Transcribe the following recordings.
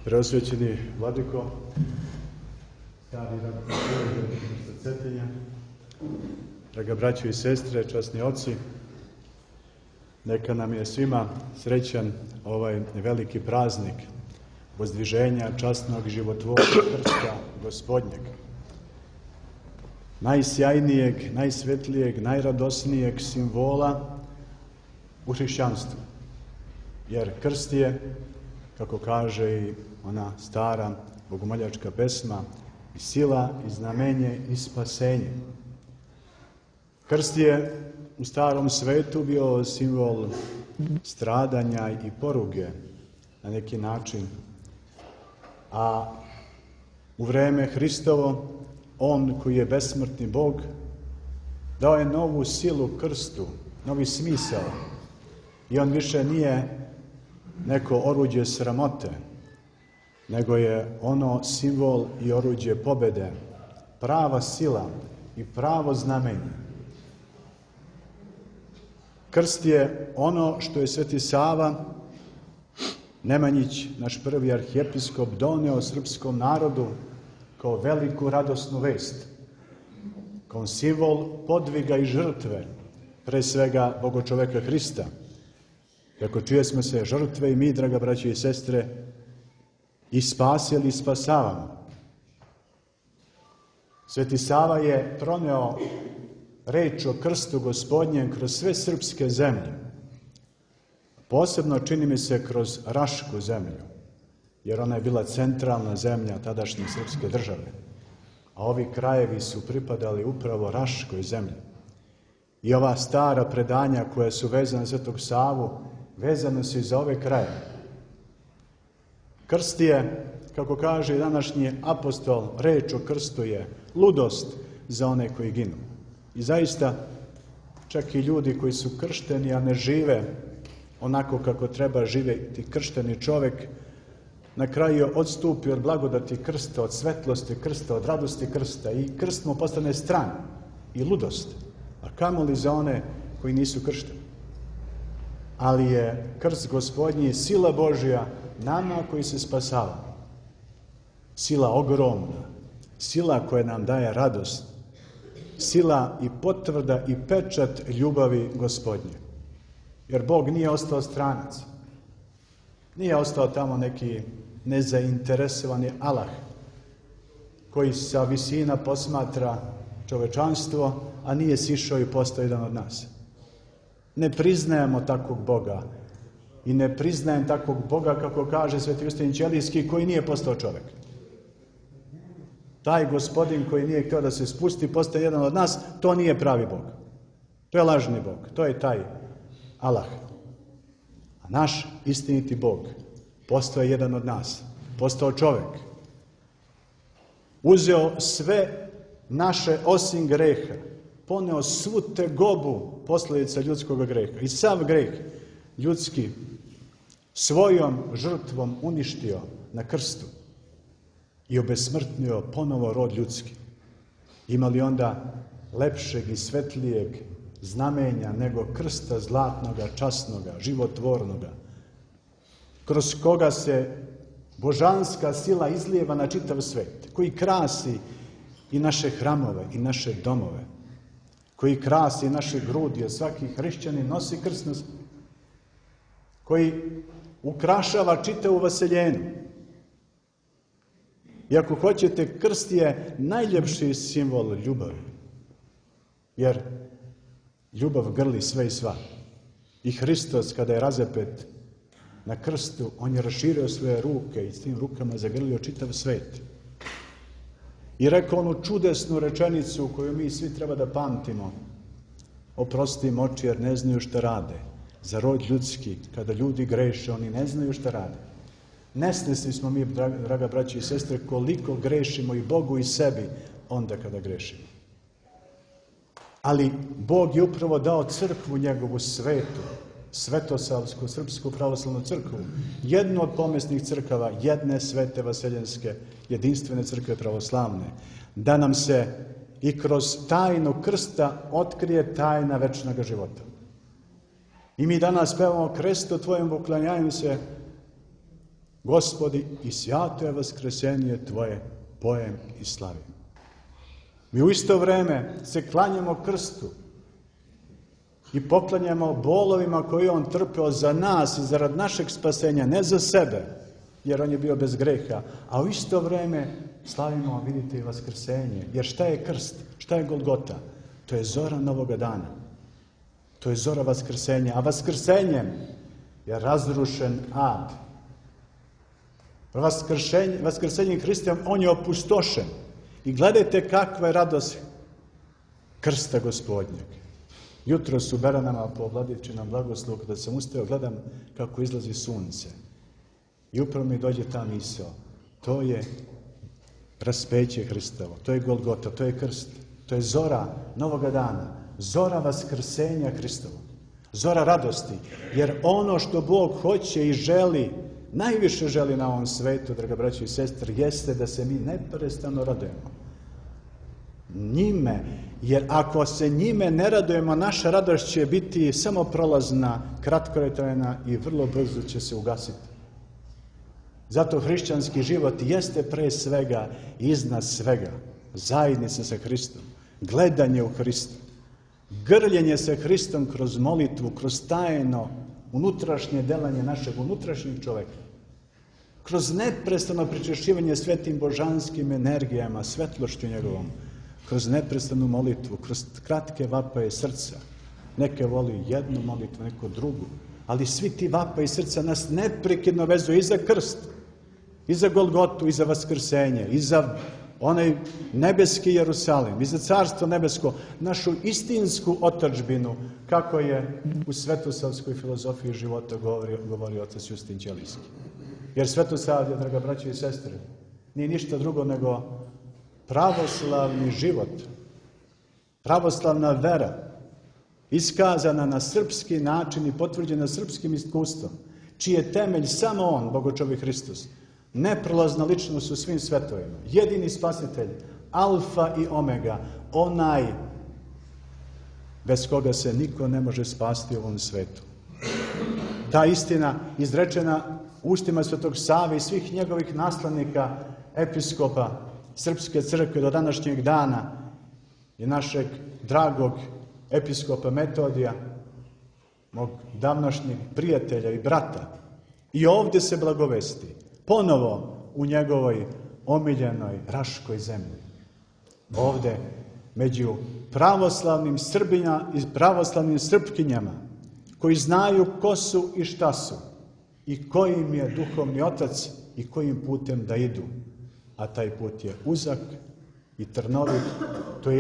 Preosvećeni Vladiko, stari ravnopravni Cetinja, draga braćo i sestre, časni oci, neka nam je svima srećan ovaj veliki praznik vozdviženja časnog životvornog krsta Gospodnjeg, najsjajnijeg, najsvetlijeg, najradosnijeg simbola u hrišćanstvu. Jer krst je, kako kaže i ona stara bogomoljačka pesma, i sila, i znamenje, i spasenje. Krst je u starom svetu bio simbol stradanja i poruge na neki način, a u vreme Hristovo, on koji je besmrtni Bog, dao je novu silu krstu, novi smisao, i on više nije neko oruđe sramote, nego je ono simbol i oruđe pobede, prava sila i pravo znamenje. Krst je ono što je Sveti Sava Nemanjić, naš prvi arhijepiskop, doneo srpskom narodu kao veliku radosnu vest, kao simbol podviga i žrtve, pre svega Bogočoveka Hrista. Ako čije smo se žrtve i mi, draga braće i sestre, i spasili i spasavamo. Sveti Sava je proneo reč o krstu Gospodnjem kroz sve srpske zemlje. Posebno, čini mi se, kroz Rašku zemlju, jer ona je bila centralna zemlja tadašnje srpske države. A ovi krajevi su pripadali upravo Raškoj zemlji. I ova stara predanja koja su vezana za Svetog Savu, vezane su i za ove krajeve. Krst je, kako kaže današnji apostol, reč o krstu je ludost za one koji ginu. I zaista, čak i ljudi koji su kršteni, a ne žive onako kako treba živjeti kršteni čovjek, na kraju odstupi od blagodati krsta, od svetlosti krsta, od radosti krsta, i krst mu postane stran i ludost. A kamoli za one koji nisu kršteni. Ali je krst Gospodnji sila Božja nama koji se spasavamo. Sila ogromna, sila koja nam daje radost, sila i potvrda i pečat ljubavi Gospodnje. Jer Bog nije ostao stranac. Nije ostao tamo neki nezainteresovani Allah koji sa visina posmatra čovečanstvo, a nije sišao i postao jedan od nas. Ne priznajemo takvog Boga i ne priznajem takvog Boga, kako kaže Sveti Justin Ćelijski, koji nije postao čovjek. Taj Gospodin koji nije htio da se spusti, postaje jedan od nas, to nije pravi Bog. To je lažni Bog, to je taj Allah. A naš istiniti Bog postao je jedan od nas, postao čovjek. Uzeo sve naše osim greha, poneo svu tegobu posljedica ljudskog greha i sav greh ljudski svojom žrtvom uništio na krstu i obesmrtnio ponovo rod ljudski. Ima li onda lepšeg i svetlijeg znamenja nego krsta zlatnoga, časnoga, životvornoga, kroz koga se božanska sila izlijeva na čitav svet, koji krasi i naše hramove i naše domove, koji krasi naše grudi, jer svaki hrišćanin nosi krst na sebi, koji ukrašava čitavu vaseljenu. I ako hoćete, krst je najljepši simbol ljubavi, jer ljubav grli sve i sva. I Hristos, kada je razapet na krstu, on je raširio svoje ruke i s tim rukama zagrlio čitav svet. I rekao onu čudesnu rečenicu koju mi svi treba da pamtimo: oprosti im oči jer ne znaju šta rade. Za rod ljudski, kada ljudi greše, oni ne znaju šta rade. Nesvesni smo mi, draga braći i sestre, koliko grešimo i Bogu i sebi onda kada grešimo. Ali Bog je upravo dao crkvu njegovu svetu, Svetosavsku srpsku pravoslavnu crkvu, jednu od pomesnih crkava, jedne svete vaseljenske, jedinstvene crkve pravoslavne, da nam se i kroz tajnu krsta otkrije tajna večnog života. I mi danas pevamo: Kresto tvojem uklanjaju se, Gospodi, i svato je vaskrsenje Tvoje, pojem i slavim. Mi u isto vreme se klanjamo krstu i poklanjamo bolovima koje on trpeo za nas i zarad našeg spasenja, ne za sebe, jer on je bio bez greha, a u isto vreme slavimo, vidite, i vaskrsenje. Jer šta je krst? Šta je Golgota? To je zora novoga dana. To je zora vaskrsenja. A vaskrsenjem je razrušen ad. Vaskrsenjem Hristom on je opustošen. I gledajte kakva je radost krsta Gospodnjeg. Jutros u Beranama po Vladičinom blagoslovu, kada sam ustao, gledam kako izlazi sunce. I upravo mi dođe ta misao. To je raspeće Hristovo, to je Golgota, to je krst, to je zora novoga dana, zora vaskrsenja Hristovog, zora radosti. Jer ono što Bog hoće i želi, najviše želi na ovom svetu, draga braćo i sestre, jeste da se mi neprestano radujemo. Njime, jer ako se njime ne radujemo, naša radost će biti samo prolazna, kratkotrajna i vrlo brzo će se ugasiti. Zato hrišćanski život jeste pre svega i iznad svega zajednica sa Hristom, gledanje u Hristu, grljenje sa Hristom kroz molitvu, kroz tajno unutrašnje delanje našeg unutrašnjeg čoveka, kroz neprestano pričešćivanje svetim božanskim energijama, svetlošću njegovom, kroz neprestanu molitvu, kroz kratke vapaje srca. Neke voli jednu molitvu, neko drugu, ali svi ti vapaji srca nas neprekidno vezuju i za krst, i za Golgotu, i za vaskrsenje, i za onaj nebeski Jerusalim, i za carstvo nebesko, našu istinsku otadžbinu, kako je u svetosavskoj filozofiji života govori otac Justin Ćelijski. Jer svetosavlje, draga braćo i sestre, nije ništa drugo nego pravoslavni život, pravoslavna vera, iskazana na srpski način i potvrđena srpskim iskustvom, čiji je temelj samo on, Bogočovi Hristos, neprolazna ličnost u svim svetovima, jedini spasitelj, alfa i omega, onaj bez koga se niko ne može spasti u ovom svetu. Ta istina izrečena ustima Svetog Save i svih njegovih naslednika, episkopa Srpske crkve do današnjeg dana i našeg dragog episkopa Metodija, mog davnašnjeg prijatelja i brata. I ovdje se blagovesti, ponovo u njegovoj omiljenoj Raškoj zemlji. Ovdje, među pravoslavnim Srbima i pravoslavnim Srpkinjama, koji znaju ko su i šta su, i koji im je duhovni otac i kojim putem da idu. A taj put je uzak i trnovit, to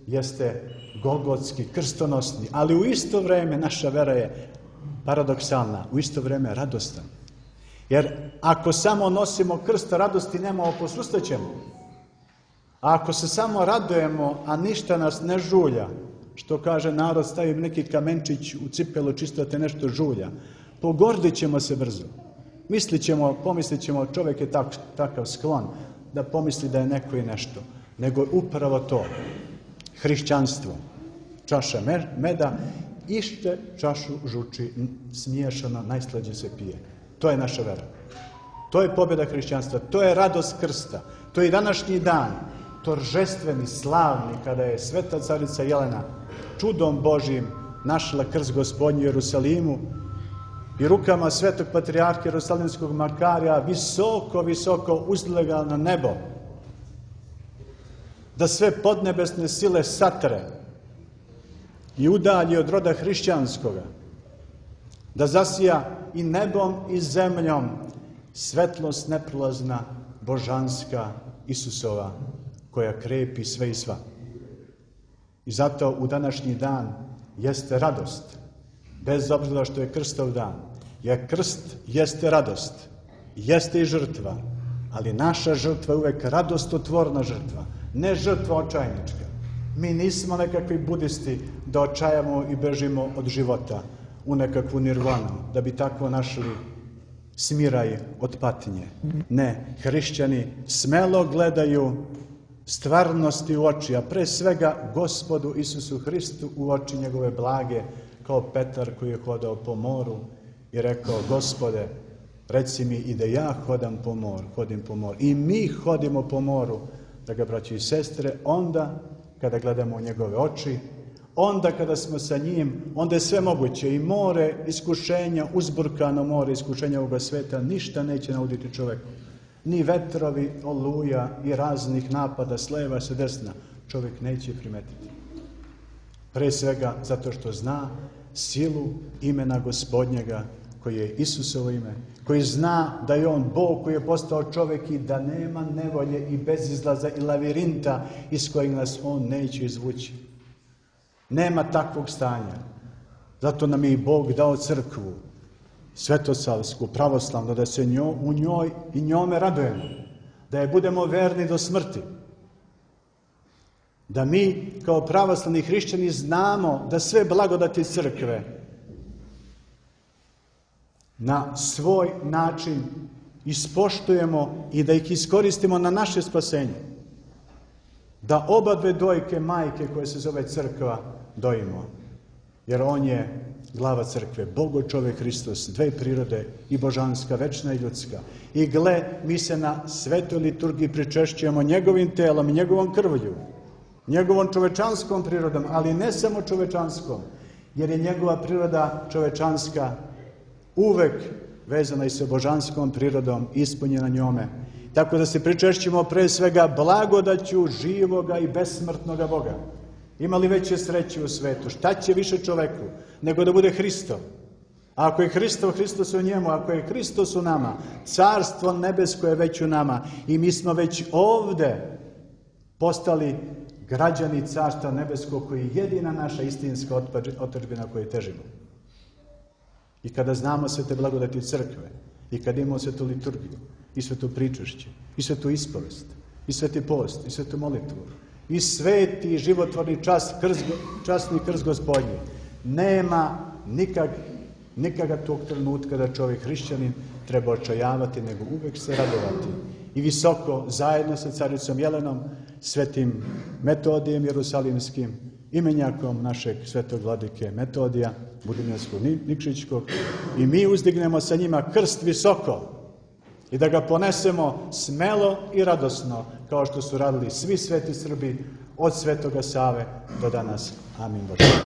jeste golgotski, krstonosni, ali u isto vreme naša vera je paradoksalna, u isto vreme radostan. Jer ako samo nosimo krst radosti, nemamo, posustaćemo. A ako se samo radujemo, a ništa nas ne žulja, što kaže narod, stavi neki kamenčić u cipelu, čisto da te nešto žulja, pogordit ćemo se brzo. Pomislit ćemo, čovjek je takav sklon da pomisli da je neko i nešto. Nego upravo to, hrišćanstvo, čaša meda, ište čašu žuči, smiješano, najslađe se pije. To je naša vera. To je pobjeda hrišćanstva, to je radost krsta, to je i današnji dan, toržestveni, slavni, kada je sveta carica Jelena čudom Božijim našla krst Gospodnji u Jerusalimu i rukama svetog patrijarha Jerusalimskog Makarija visoko, visoko uzdigla na nebo, da sve podnebesne sile satre i udalji od roda hrišćanskoga, da zasija i nebom i zemljom svetlost neprolazna, božanska, Isusova, koja krepi sve i sva. I zato u današnji dan jeste radost, bez obzira što je krstov dan. Jer krst jeste radost, jeste i žrtva, ali naša žrtva je uvek radostotvorna žrtva, ne žrtva očajnička. Mi nismo nekakvi budisti da očajamo i bežimo od života u nekakvu nirvanu, da bi tako našli smiraj od patnje. Ne, hrišćani smelo gledaju stvarnosti u oči, a pre svega Gospodu Isusu Hristu u oči njegove blage, kao Petar koji je hodao po moru i rekao: Gospode, reci mi i da ja hodim po moru. I mi hodimo po moru, draga braći i sestre, onda kada gledamo u njegove oči, onda kada smo sa njim, onda je sve moguće. I more iskušenja, uzburkano more iskušenja ovoga sveta, ništa neće nauditi čoveku. Ni vetrovi, oluja i raznih napada s leva, s desna, čovjek neće primetiti. Pre svega zato što zna silu imena Gospodnjega, koji je Isusovo ime, koji zna da je on Bog koji je postao čovjek i da nema nevolje i bezizlaza i lavirinta iz kojeg nas on neće izvući. Nema takvog stanja. Zato nam je i Bog dao crkvu, svetosavsku, pravoslavnu, da se u njoj i njome radujemo, da je budemo verni do smrti. Da mi kao pravoslavni hrišćani znamo da sve blagodati crkve na svoj način ispoštujemo i da ih iskoristimo na naše spasenje. Da oba dve dojke majke koje se zove crkva dojimo. Jer on je glava crkve, Bogo čovjek Hristos, dve prirode, i božanska, večna i ljudska. I gle, mi se na svetoj liturgiji pričešćujemo njegovim telom i njegovom krvlju, njegovom čovečanskom prirodom, ali ne samo čovečanskom, jer je njegova priroda čovečanska uvek vezana i sa božanskom prirodom, ispunjena njome. Tako da se pričešćimo pre svega blagodaću živoga i besmrtnoga Boga. Ima li veće sreće u svetu? Šta će više čoveku nego da bude Hristo? A ako je Hristos u njemu, ako je Hristos u nama, carstvo nebesko je već u nama i mi smo već ovde postali građani carstva nebeskog, koji je jedina naša istinska otadžbina koju težimo. I kada znamo sve te blagodati crkve, i kada imamo svetu liturgiju, i svetu pričešće, i svetu ispovest, i sveti post, i svetu molitvu, i sveti životvorni časni krst Gospodnji, nema nikada tog trenutka da čovjek hrišćanin treba očajavati, nego uvek se radovati. I visoko, zajedno sa caricom Jelenom, svetim Metodijem Jerusalimskim, imenjakom našeg svetog vladike Metodija, Budimljanskog Nikšićkog, i mi uzdignemo sa njima krst visoko i da ga ponesemo smelo i radosno, kao što su radili svi sveti Srbi od Svetoga Save do danas. Amin Bože.